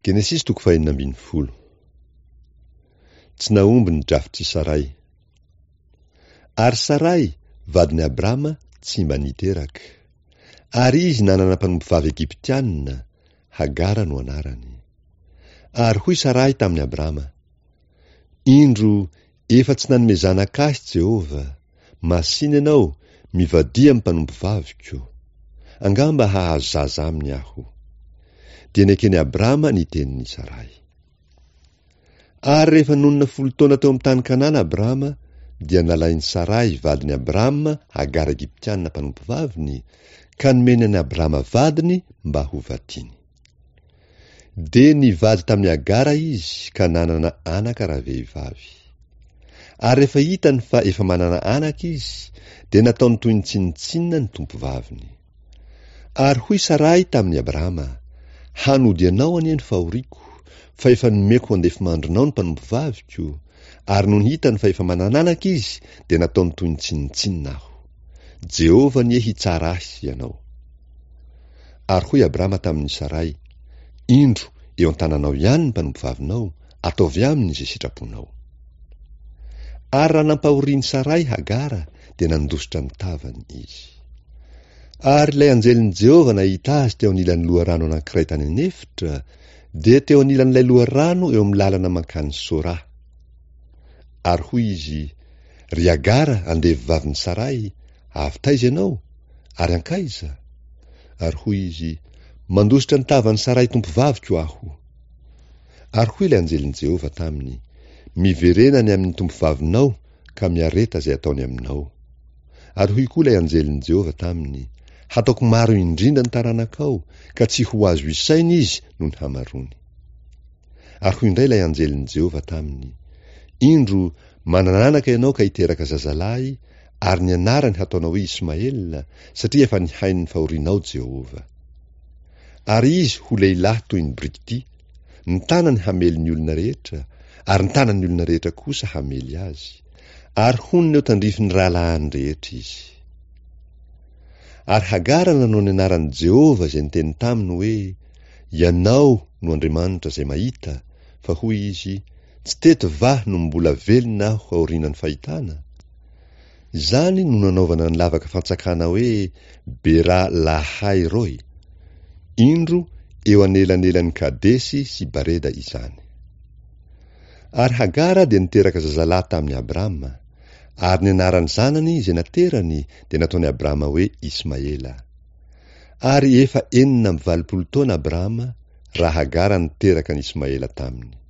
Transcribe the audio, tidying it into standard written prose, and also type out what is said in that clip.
Genesisy toko fahenina ambin'ny folo. Tsy nahomby ny drafitr'i Saray. Ary Saray, vadin'i Abrama, tsy mba niteraka. Ary izy nanana mpanompovavy Egyptiana, Hagara no anarany. Ary hoy Saray tamin'i Abrama, Indro, efa tsy nanome zanaka ahy Jehovah, masìna ianao, mivadia amin'ny mpanompovaviko. Angamba hahazo zaza aminy aho. Dia neken'i Abrama ny tenin'i Saray. Ary rehefa nonina folo taona teo amin'ny tany Kanana Abrama, dia nalain'i Saray vadin'i Abrama Hagara Egyptiana mpanompovaviny, ka nomeny an'i Abrama vadiny mba ho vadiny. Dia nivady tamin'i Hagara izy ka nanana anaka ravehivavy. Ary rehefa hitany fa efa manana anaka izy, dia nataony toy ny tsinontsinona ny tompovaviny. Ary hoy Saray tamin'i Abrama, Hanody anao anie ny fahoriako, fa efa nomeko ho andefimandrinao ny mpanompovaviko, ary nony hitany fa efa manan'anaka izy, dia nataony toy ny tsinontsinona aho. Jehovah anie hitsara ahy sy ianao. Ary hoy Abrama tamin'i Saray, Indro, eo an-tananao ihany ny mpanompovavinao, ataovy aminy izay sitraponao. Ary raha nampahorian'i Saray Hagara, dia nandositra ny tavany izy. Ary ilay anjelin'i Jehovah nahita azy teo anilan'ny loharano anankiray tany an'efitra, dia teo anilan'ilay loharano eo amin'ny lalana mankany Sora. Ary hoy izy, Ry Hagara, andevovavin'i Saray, avy taiza ianao? Ary hankaiza? Ary hoy izy, Mandositra ny tavan'i Saray tompovaviko aho. Ary hoy ilay anjelin'i Jehovah taminy, Miverena any amin'ny tompovavinao ka miareta izay ataony aminao. Ary hoy koa ilay anjelin'i Jehovah taminy, Hataoko maro indrindra ny taranakao, ka tsy ho azo isaina izy noho ny hamaroany. Ary hoy indray ilay anjelin'i Jehovah taminy, Indro, manana anaka ianao ka hiteraka zazalahy, ary ny anarany hataonao hoe Ismaela, satria efa nihaino ny fahorianao Jehovah. Ary izy ho lehilahy toy ny birikitia, ny tanany hamely ny olona rehetra, ary ny tanan'ny olona rehetra kosa hamely azy, ary honina eo tandrifin'ny rahalahiny rehetra izy. Ary Hagara nanao ny anaran'i Jehovah izay niteny taminy hoe, Ianao no Andriamanitra izay mahita, fa hoy izy, Tsy teto va no mbola velona aho aorianan'ny fahitana? Izany no nanaovana ny lavaka fantsakana hoe Bera Lahai Roi. Indro eo anelanelan'i Kadesy sy Bareda izany. Ary Hagara dia niteraka zazalahy tamin'i Abrama, ary ny anaran'ny zanany izay naterany dia nataon'i Abrama hoe Ismaela. Ary efa 86 taona Abrama raha Hagara niteraka an'i Ismaela taminy.